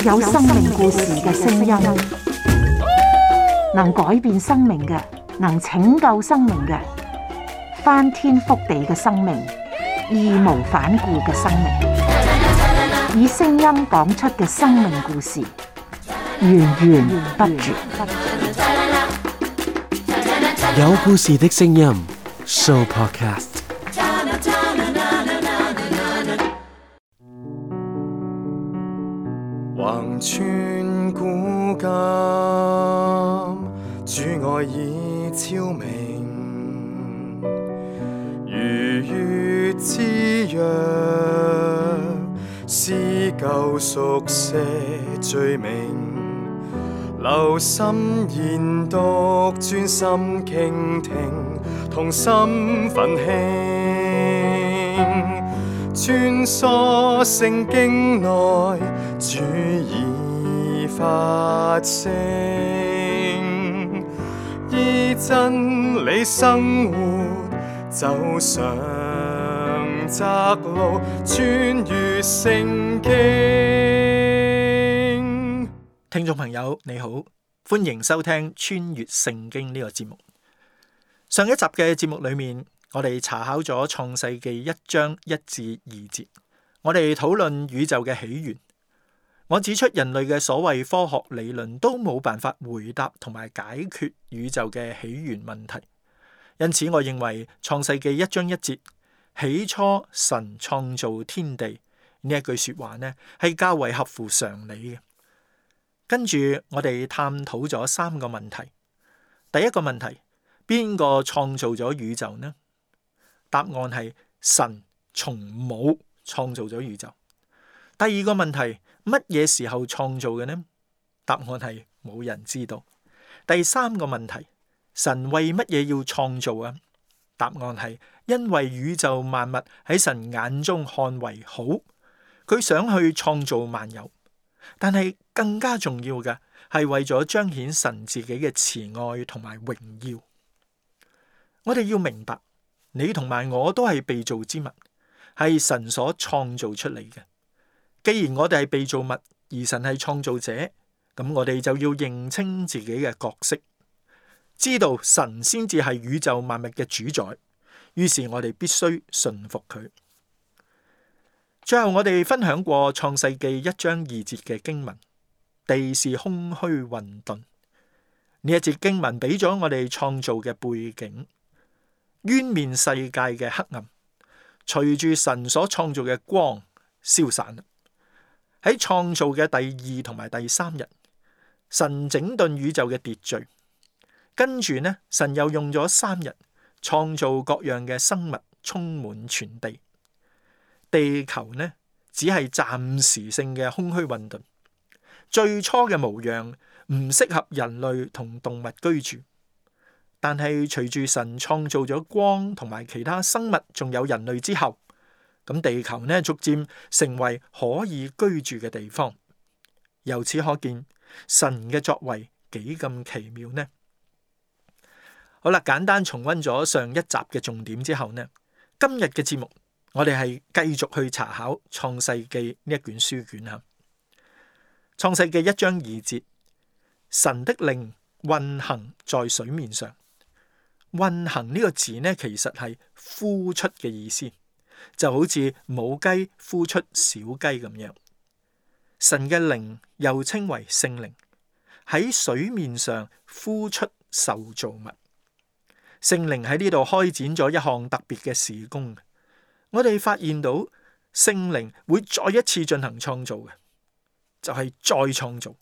有生命故事嘅聲音，能改變生命嘅，能拯救生命嘅，翻天覆地嘅生命，義無反顧嘅生命，以聲音講出嘅生命故事，源源不絕。有故事的聲音 Show Podcast。橫穿古今，主愛已超明，如月之約，撕舊熟寫罪名，留心研讀，專心傾聽，同心奮興，穿梭聖經內，主已發聲，依真理生活，走上窄路，穿越聖經。聽眾朋友你好，歡迎收聽穿越聖經呢個節目。上一集嘅節目裏面，我哋查考咗創世記1章1至2節，我哋討論宇宙嘅起源。我指出人類嘅所謂科學理論都冇辦法回答同埋解決宇宙嘅起源問題，因此我認為創世記1章1節起初神創造天地呢一句說話呢，係較為合乎常理嘅。跟住我哋探討咗3個問題。第一個問題，邊個創造咗宇宙呢？答案係神從冇創造咗宇宙。第二個問題，乜嘢時候創造嘅呢？答案係冇人知道。第三個問題，神為乜嘢要創造啊？答案係因為宇宙萬物喺神眼中看為好，佢想去創造萬有。但係更加重要嘅係為咗彰顯神自己嘅慈愛同埋榮耀。我哋要明白，你同埋我都係被造之物，係神所創造出嚟嘅。既然我哋係被造物，而神係創造者，咁我哋就要認清自己嘅角色，知道神先至係宇宙萬物嘅主宰。於是我哋必須順服佢。最後我哋分享過創世記1章2節嘅經文，地是空虛混沌。呢一節經文俾咗我哋創造嘅背景，淵面世界嘅黑暗隨住神所創造嘅光消散啦。喺創造嘅第2同埋第3日，神整頓宇宙嘅秩序，跟住呢，神又用咗3日創造各樣嘅生物，充滿全地。地球呢，只係暫時性嘅空虛混沌，最初嘅模樣唔適合人類同動物居住。但係隨住神創造咗光同埋其他生物，仲有人類之後，咁地球呢，逐漸成為可以居住嘅地方。由此可見，神嘅作為幾咁奇妙呢？好啦，簡單重溫咗上一集嘅重點之後呢，今日嘅節目我哋係繼續去查考創世記呢一卷書卷吓。創世記1章2節，神的靈運行在水面上。運行呢個字呢，其實係呼出嘅意思，就好似母雞呼出小雞咁樣。神嘅靈又稱為聖靈，喺水面上呼出受造物。聖靈喺呢度開展咗一項特別嘅事工。我哋發現到聖靈會再一次進行創造嘅，就係再創造。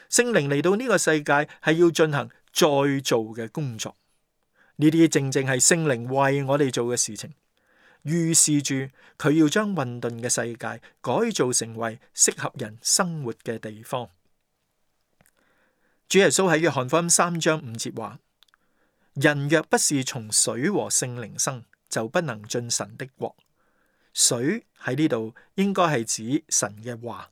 聖靈嚟到呢個世界係要進行再造嘅工作。呢啲正正係聖靈為我哋做嘅事情，預示住佢要將混沌嘅世界改造成為適合人生活嘅地方。主耶穌喺約翰福音3章5節話：人若不是從水和聖靈生，就不能進神的國。水喺呢度應該係指神嘅話。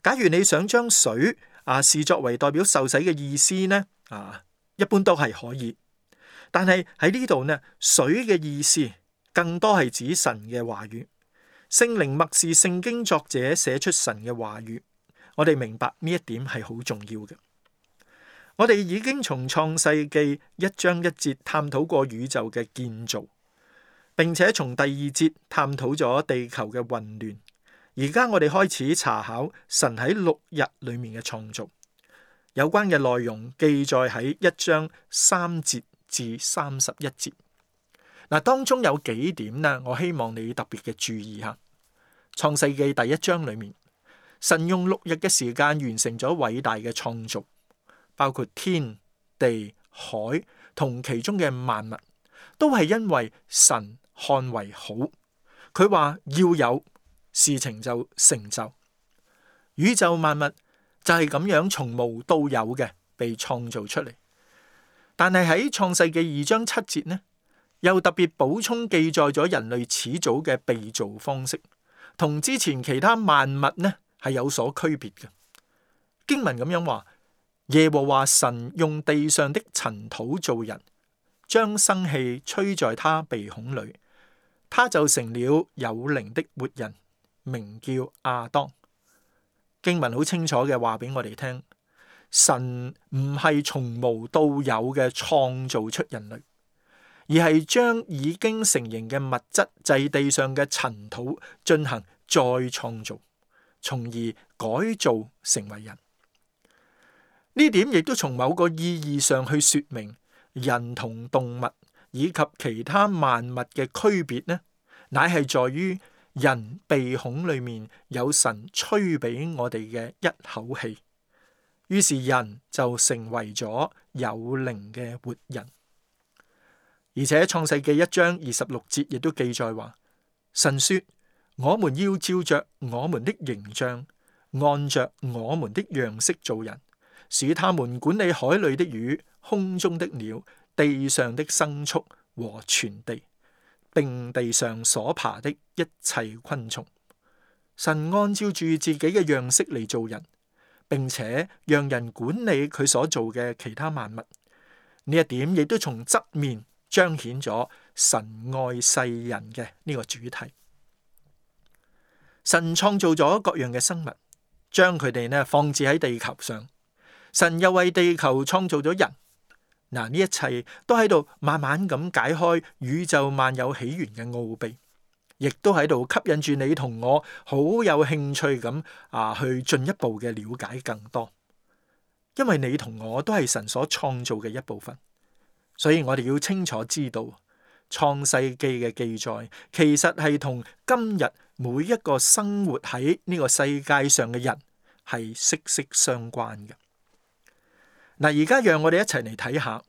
假如你想將水視作為代表受洗嘅意思呢，一般都係可以。但係喺呢度呢，水嘅意思更多係指神嘅話語。聖靈默示聖經作者寫出神嘅話語，我哋明白呢一點係好重要嘅。我哋已經從創世記1章1節探討過宇宙嘅建造，並且從第2節探討咗地球嘅混亂。而家我哋開始查考神喺6日裏面嘅創造，有關嘅內容記載喺1章3節至31節。嗱，當中有幾點呢，我希望你特別嘅注意下。創世記第1章裏面，神用6日嘅時間完成咗偉大嘅創造，包括天地海同其中嘅萬物，都係因為神看為好。佢話要有，事情就成就。宇宙萬物就係咁樣從無到有嘅被創造出嚟。但係喺創世記2章7節呢，又特別補充記載咗人類始祖嘅被造方式，同之前其他萬物呢係有所區別嘅。經文咁樣話，耶和華神用地上的塵土造人，將生氣吹在他鼻孔裏，他就成了有靈的活人，名叫亞當。經文好清楚嘅話俾我哋聽，神唔係從無到有嘅創造出人類，而係將已經成形嘅物質，就係地上嘅塵土進行再創造，從而改造成為人。呢點亦都從某個意義上去說明人同動物以及其他萬物嘅區別呢，乃係在於人鼻孔裏面有神吹俾我哋嘅一口氣，於是人就成為咗有靈嘅活人。而且創世記1章26節亦都記載話，神說：我們要照着我們的形象，按着我們的樣式造人，使他們管理海裏的魚、空中的鳥、地上的牲畜和全地，並地上所爬的一切昆蟲。神按照住自己嘅樣式嚟造人，並且讓人管理佢所做嘅其他萬物。呢一點亦都從側面彰顯咗神愛世人嘅呢個主題。神創造咗各樣嘅生物，將佢哋呢放置喺地球上。神又為地球創造咗人。嗱，呢一切都喺度慢慢咁解開宇宙萬有起源嘅奧秘，亦都喺度吸引住你同我好有興趣咁去進一步嘅了解更多。因為你同我都係神所創造嘅一部分，所以我哋要清楚知道創世記嘅記載其實係同今日每一個生活喺呢個世界上嘅人係息息相關嘅。嗱，而家讓我哋一齊嚟睇下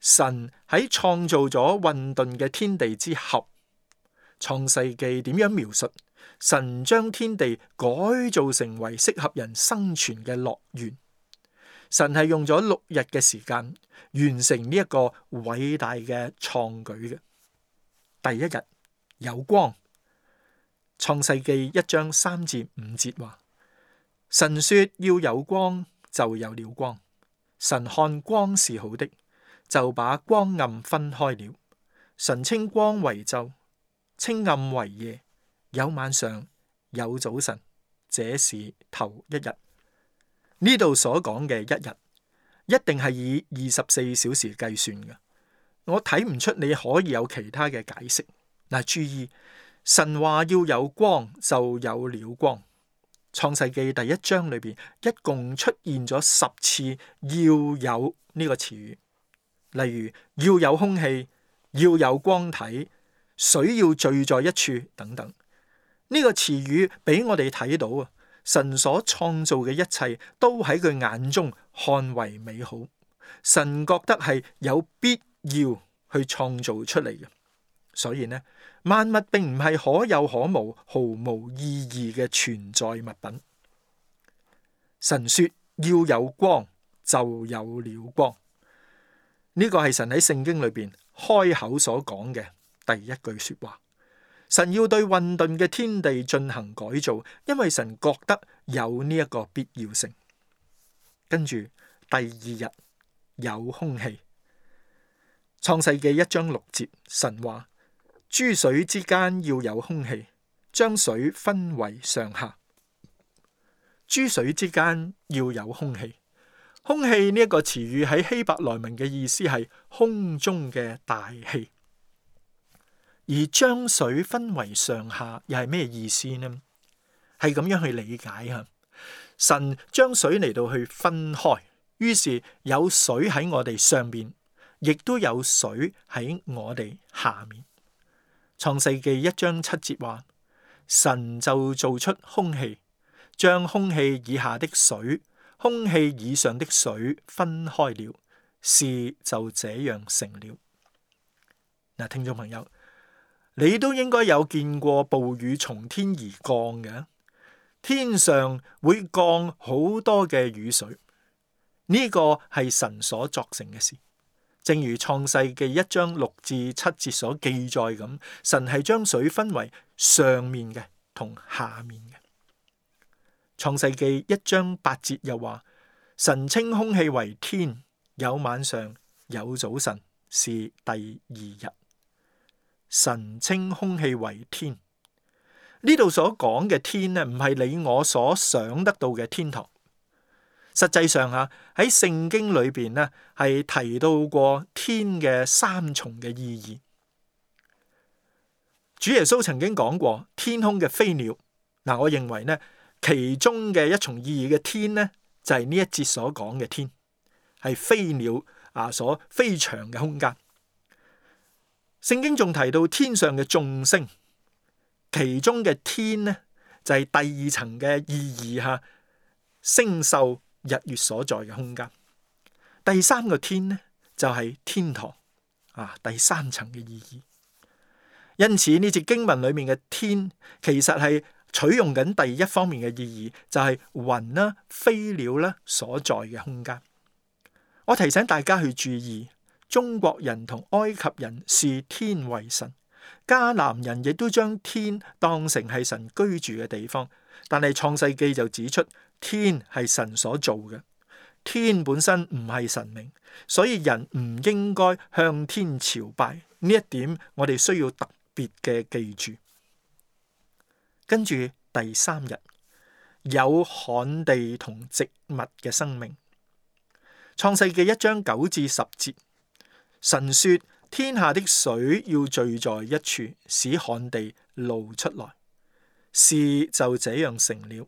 神喺創造咗混沌嘅天地之後，創世記點樣描述神將天地改造成為適合人生存嘅樂園。神係用咗6日嘅時間完成呢一個偉大嘅創舉嘅。第一日有光，創世記1章3至5節話，神說要有光，就有了光。神看光是好的，就把光暗分開了。神稱光為晝，稱暗為夜，有晚上，有早晨，這是頭一日。呢度所講嘅一日，一定係以24小時計算嘅。我睇唔出你可以有其他嘅解釋。嗱，注意，神話要有光，就有了光。創世記第1章裏邊一共出現咗10次要有呢個詞語，例如要有空氣、要有光體、水要聚在一處等等。呢個詞語俾我哋睇到啊，神所創造嘅一切都喺佢眼中看為美好，神覺得係有必要去創造出嚟嘅。所以呢，萬物並唔係可有可無、毫無意義嘅存在物品。神說要有光，就有了光。呢個係神喺聖經裏邊開口所講嘅第一句說話。神要對混沌嘅天地進行改造，因為神覺得有呢一個必要性。跟住第2日有空氣。創世記1章6節，神話，諸水之間要有空氣，將水分為上下。諸水之間要有空氣。空氣呢一個詞語喺希伯來文嘅意思係空中嘅大氣。而將水分為上下又係咩意思呢？係咁樣去理解吓，神將水嚟到去分開，於是有水喺我哋上面，亦都有水喺我哋下面。創世記1章7節話，神就造出空氣，將空氣以下的水、空氣以上的水分開了，事就這樣成了。嗱，聽眾朋友，你都應該有見過暴雨從天而降嘅，天上會降好多嘅雨水，呢個係神所作成嘅事。正如創世記1章6至7節所記載咁，神係將水分為上面嘅同下面嘅。創世記1章8節又話，神稱空氣為天，有晚上，有早晨，是第二日。神稱空氣為天，呢度所講嘅天呢，唔係你我所想得到嘅天堂。實際上喺聖經裏邊呢，係提到過天嘅三重嘅意義。主耶穌曾經講過天空嘅飛鳥。嗱，我認為呢，其中嘅一重意義嘅天呢，就係呢一節所講嘅天，係飛鳥所飛翔嘅空間。聖經仲提到天上嘅眾星，其中嘅天呢，就係第二層嘅意義星宿日月所在嘅空間。第三個天呢，就係天堂第三層嘅意義。因此呢節經文裏面嘅天，其實係取用緊第一方面嘅意義，就係雲啦、飛鳥啦所在嘅空間。我提醒大家去注意，中國人同埃及人視天為神，迦南人亦都將天當成係神居住嘅地方。但係創世記就指出，天係神所做嘅，天本身唔係神明，所以人唔應該向天朝拜。呢一點我哋需要特別嘅記住。跟住第三日，有旱地同植物嘅生命。創世記1章9至10節，神說天下的水要聚在一處，使旱地露出來，事就這樣成了。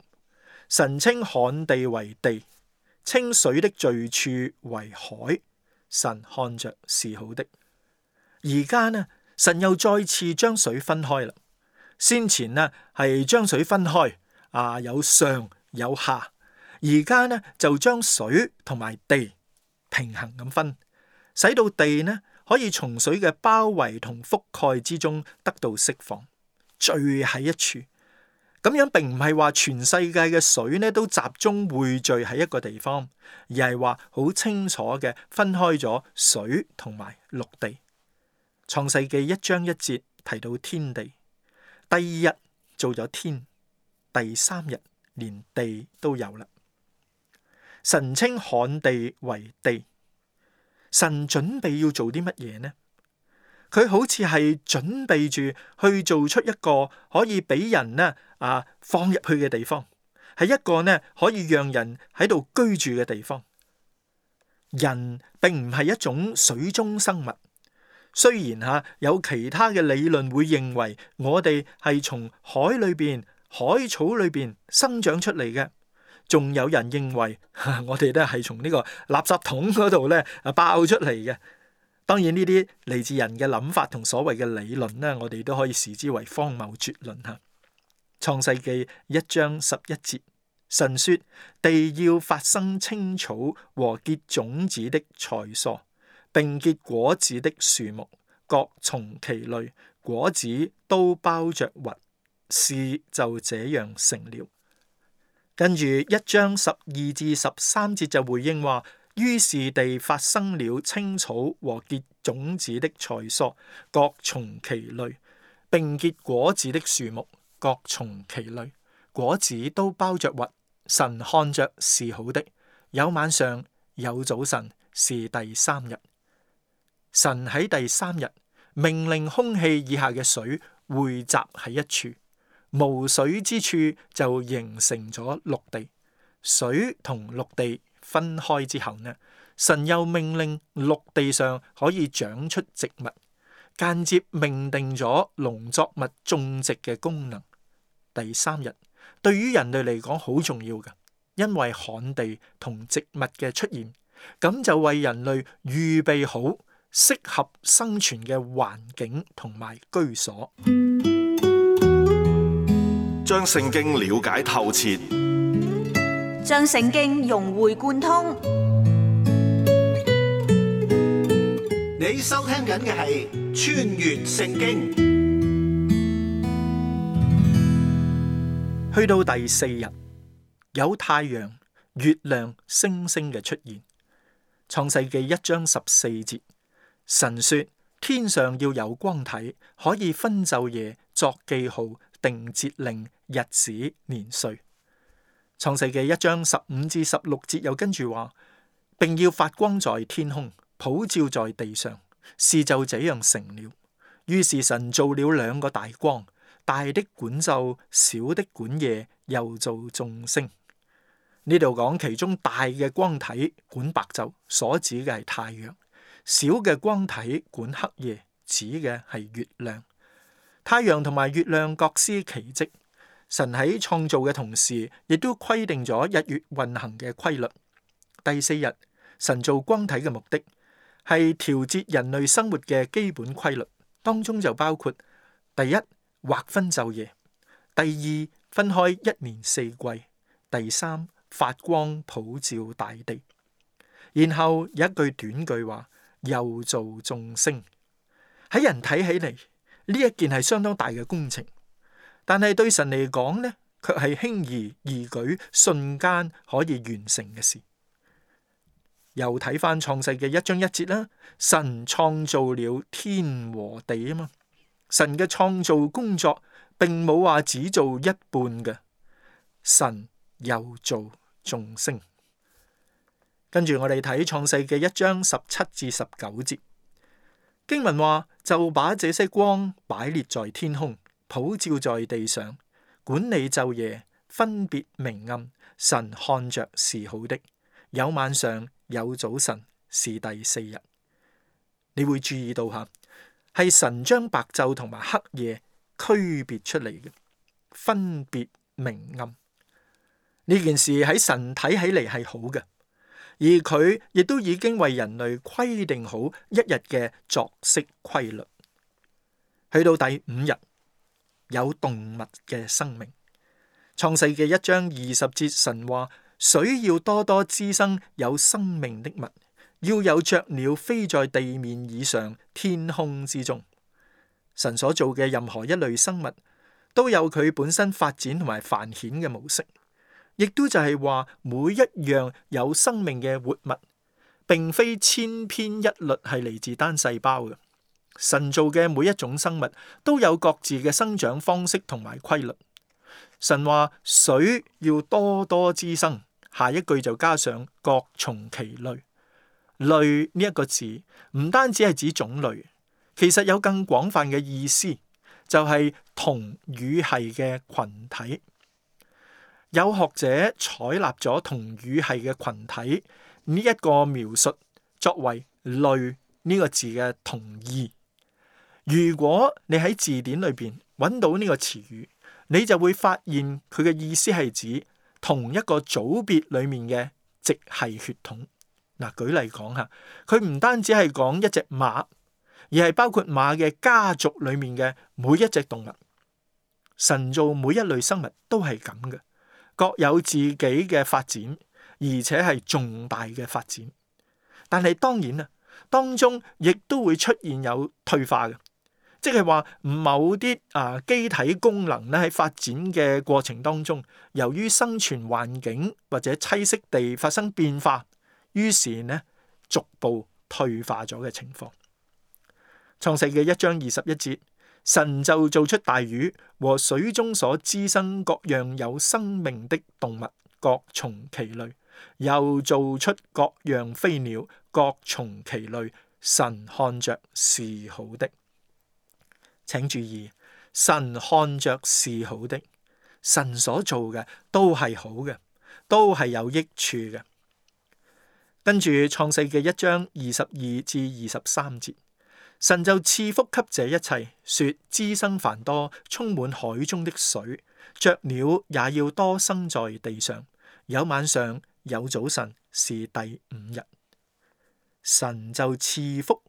神稱旱地為地，稱水的聚處為海。神看着是好的。而家呢，神又再次將水分開啦。先前呢係將水分開，有上有下。而家呢就將水同埋地平衡咁分，使到地呢可以從水嘅包圍同覆蓋之中得到釋放，聚喺一處。咁樣並唔係話全世界嘅水呢都集中匯聚喺一個地方，而係話好清楚嘅分開咗水同埋陸地。創世記1章1節提到天地，第二日做咗天，第三日連地都有啦。神稱旱地為地，神準備要做啲乜嘢呢？佢好似係準備住去做出一個可以俾人放入去嘅地方，係一個可以讓人喺度居住嘅地方。人並唔係一種水中生物，雖然有其他嘅理論會認為我哋係從海裏邊、海草裏邊生長出嚟嘅，仲有人認為我哋係從呢個垃圾桶嗰度爆出嚟嘅。當然呢啲嚟自人嘅諗法同所謂嘅理論呢，我哋都可以視之為荒謬絕論吓。創世記1章11節，神說地要發生青草和結種子的菜蔬，並結果子的樹木，各從其類，果子都包着核，事就這樣成了。跟住1章12至13節就回應話，於是地發生了青草和結種子的菜蔬，各從其類，並結果子的樹木，各從其類，果子都包着核。神看着是好的，有晚上，有早晨，是第三日。神喺第三日命令空氣以下嘅水匯集喺一處，無水之處就形成咗陸地。水同陸地分開之後呢，神又命令陸地上可以長出植物，間接命定咗農作物種植嘅功能。第三日對於人類嚟講好重要㗎，因為旱地同植物嘅出現，咁就為人類預備好適合生存嘅環境同埋居所。將聖經了解透徹，將聖經融會貫通。你收聽緊嘅係《穿越聖經》。去到第4日，有太陽、月亮、星星嘅出現。創世記1章14節，神說天上要有光體，可以分晝夜，作記號，定節令、日子、年歲。創世記1章15至16節又跟住話，並要發光在天空，普照在地上，事就這樣成了。於是神造了2個大光，大的管晝，小的管夜，又造眾星。呢度講其中大嘅光體管白晝，所指嘅係太陽；小嘅光體管黑夜，指嘅係月亮。太陽同埋月亮各司其職，神喺創造嘅同時，亦都規定咗日月運行嘅規律。第4日，神造光體嘅目的係調節人類生活嘅基本規律，當中就包括第一，劃分晝夜；第二，分開1年4季；第三，發光普照大地。然後有一句短句話，又造眾星。喺人睇起嚟，呢一件係相當大嘅工程，但係對神嚟講呢，卻係輕而易舉，瞬間可以完成嘅事。又睇翻創世嘅1章1節啦，神創造了天和地啊嘛。神嘅創造工作並冇話只做一半嘅，神又造眾星。跟住我哋睇創世嘅1章17至19節，經文話，就把這些光擺列在天空，普照在地上，管理晝夜，分別明暗。神看着是好的。有晚上，有早晨，是第4日。你會注意到吓，係神將白晝同埋黑夜區別出嚟嘅，分別明暗。呢件事喺神睇起嚟係好嘅，而佢亦都已經為人類規定好一日嘅作息規律。去到第5日，有動物嘅生命。創世記1章20節，神話水要多多滋生有生命的物，要有雀鳥飛在地面以上，天空之中。神所做嘅任何一類生物都有佢本身發展同埋繁衍嘅模式，亦都就係話每一樣有生命嘅活物並非千篇一律係嚟自單細胞嘅。神做嘅每一種生物都有各自嘅生長方式同埋規律。神話水要多多滋生，下一句就加上各從其類。類呢一個字唔單止係指種類，其實有更廣泛嘅意思，就係同語系嘅群體。有學者採納咗同語系嘅群體呢一個描述，作為類呢個字嘅同義。如果你喺字典裏邊揾到呢個詞語，你就會發現佢嘅意思係指同一個組別裏面嘅直系血統。嗱，舉例講下，佢唔單止係講一隻馬，而係包括馬嘅家族裏面嘅每一隻動物。神造每一類生物都係咁嘅，各有自己嘅發展，而且係重大嘅發展。但係當然啊，當中亦都會出現有退化嘅。即係話某啲機體功能咧喺發展嘅過程當中，由於生存環境或者棲息地發生變化，於是呢逐步退化咗嘅情況。創世記1章21節，神就造出大魚和水中所滋生各樣有生命的動物，各從其類，又造出各樣飛鳥，各從其類。神看着是好的。請注意，神看着是好的，神所做嘅都係好嘅，都係有益處嘅。跟住創世記1章22至23節，神就賜福給這一切，說滋生繁多，充滿海中的水，雀鳥也要多生在地上。有晚上，有早晨，是第5日。神就賜福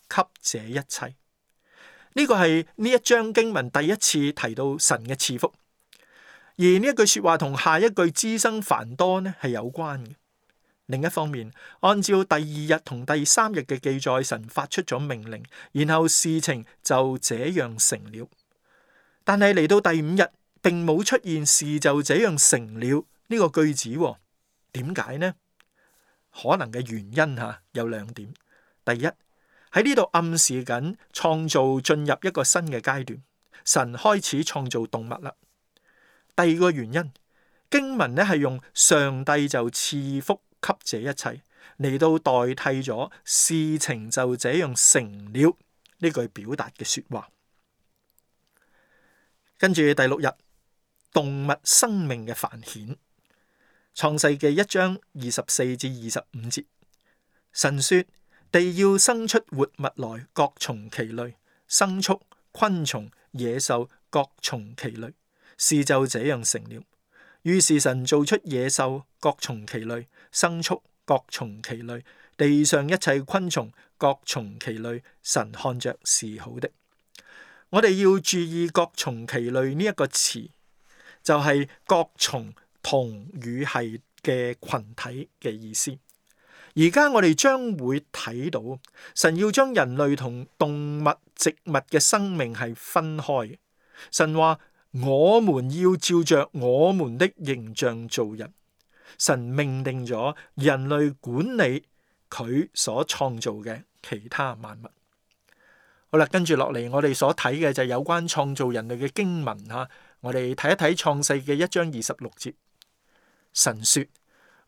給這一切。呢個係呢一章經文第一次提到神嘅賜福，而呢一句說話同下一句滋生繁多呢係有關嘅。另一方面，按照第2日同第3日嘅記載，神發出咗命令，然後事情就這樣成了。但係嚟到第5日，並冇出現事就這樣成了呢個句子。點解呢？可能嘅原因有2點。第一，喺呢度暗示緊創造進入一個新嘅階段，神開始創造動物啦。第二個原因，經文呢係用上帝就賜福給這一切嚟到代替咗事情就這樣成了呢句表達嘅說話。跟住第6日，動物生命嘅繁衍。創世記1章24至25節，神說：地要生出活物來，各從其類，牲畜、昆蟲、野獸各從其類，事就這樣成了。於是神造出野獸，各從其類，牲畜各從其類，地上一切昆蟲各從其類，神看着是好的。我哋要注意各從其類呢一個詞，就係各從同與係嘅群體嘅意思。而家我哋將會睇到神要將人類同動物、植物嘅生命係分開。神話我們要照着我們的形象造人。神命定咗人類管理佢所創造嘅其他萬物。好啦，跟住落嚟我哋所睇嘅就係有關創造人類嘅經文吓。我哋睇一睇創世記1章26節。神說：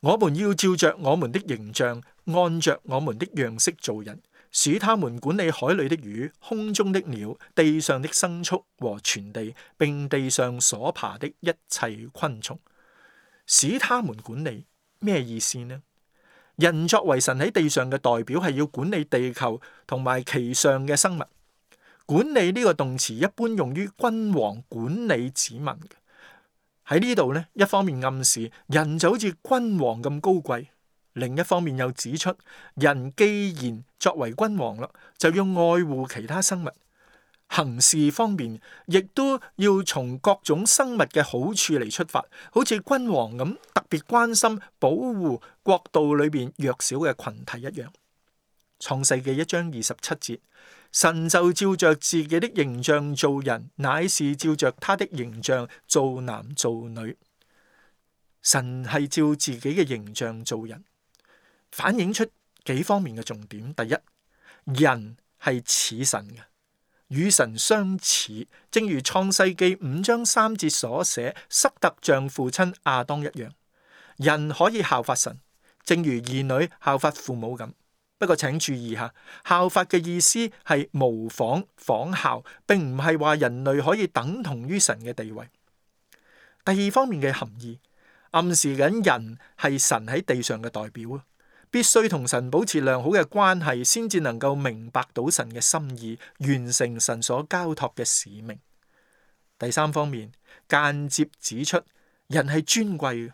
我們要照着我們的形象，按着我們的樣式造人，使他們管理海裏的魚、空中的鳥、地上的牲畜和全地，並地上所爬的一切昆蟲。使他們管理咩意思呢？人作為神喺地上嘅代表，係要管理地球同埋其上嘅生物。管理呢個動詞一般用於君王管理子民嘅。喺呢度呢，一方面暗示人就好似君王咁高貴，另一方面又指出人既然作為君王啦，就要愛護其他生物。行事方面亦都要從各種生物嘅好處嚟出發，好似君王咁特別關心保護國度裏邊弱小嘅群體一樣。創世記1章27節，神就照着自己的形象造人，乃是照着他的形象造男造女。神係照自己嘅形象造人，反映出幾方面嘅重點。第一，人係似神嘅，與神相似，正如創世記5章3節所寫，塞特像父親亞當一樣。人可以效法神，正如兒女效法父母咁。不過請注意下，效法嘅意思係模仿、仿效，並唔係話人類可以等同於神嘅地位。第二方面嘅含義，暗示緊人係神喺地上嘅代表，必須同神保持良好嘅關係，先至能夠明白到神嘅心意，完成神所交託嘅使命。第三方面，間接指出人係尊貴嘅，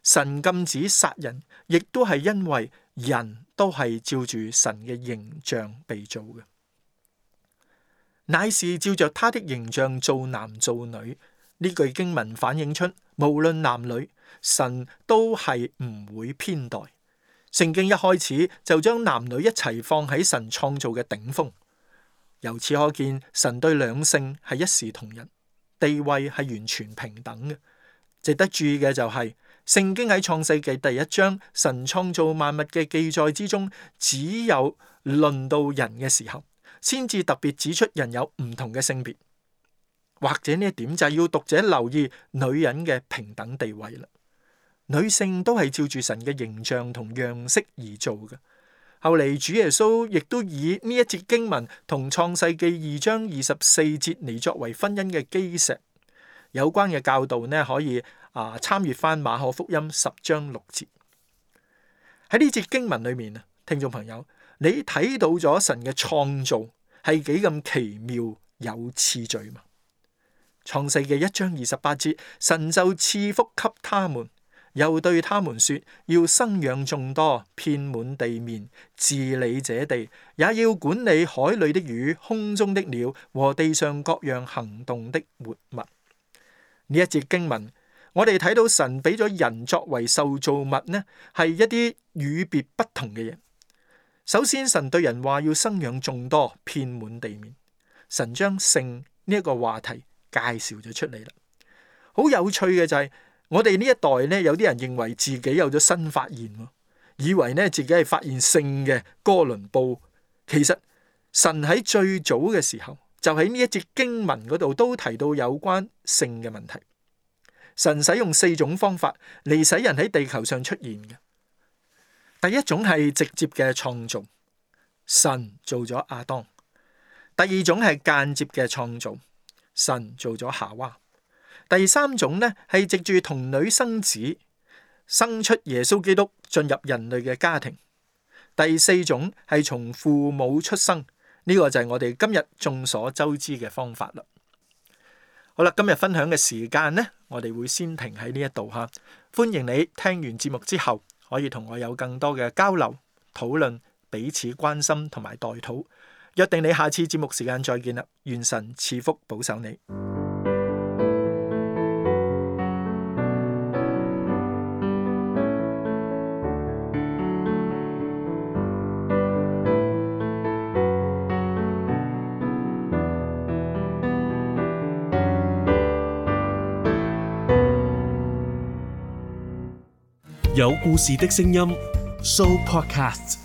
神禁止殺人，亦都係因為人都係照住神嘅形象被造嘅，乃是照着他的形象造男造女。呢句經文反映出，無論男女，神都係唔會偏待。聖經一開始就將男女一齊放喺神創造嘅頂峰，由此可見神對兩性係一視同仁，地位係完全平等嘅。值得注意嘅就係，聖經喺創世記第1章神創造萬物嘅記載之中，只有論到人嘅時候，先至特別指出人有唔同嘅性別。或者呢一點就係要讀者留意女人嘅平等地位啦。女性都係照住神嘅形象同樣式而做嘅。後嚟主耶穌亦都以呢一節經文同創世記2章24節嚟作為婚姻嘅基石。有關嘅教導呢，可以參閱翻馬可福音10章6節。喺呢節經文裏面啊，聽眾朋友，你睇到咗神嘅創造係幾咁奇妙有次序嘛？創世記1章28節，神就賜福給他們，又對他們說，要生養眾多，遍滿地面，治理這地，也要管理海裏的魚、空中的鳥和地上各樣行動的活物。呢一節經文，我哋睇到神俾咗人作為受造物呢，係一啲與別不同嘅嘢。首先，神對人話要生養眾多，遍滿地面。神將性呢一個話題介紹咗出嚟啦。好有趣嘅就係，我哋呢一代呢，有啲人認為自己有咗新發現，以為呢自己係發現性嘅哥倫布。其實神喺最早嘅時候，就喺呢一節經文嗰度都提到有關性嘅問題。神使用4種方法嚟使人喺地球上出現嘅。第一種係直接嘅創造，神做咗亞當；第二種係間接嘅創造，神做咗夏娃；第三種呢係藉住童女生子，生出耶穌基督進入人類嘅家庭；第四種係從父母出生，呢個就係我哋今日眾所周知嘅方法啦。好啦，今日分享嘅時間呢，我哋會先停喺呢一度吓。歡迎你聽完節目之後，可以同我有更多嘅交流討論，彼此關心同埋代禱。約定你下次節目時間再見啦，願神賜福保守你。有故事的聲音 Show Podcast。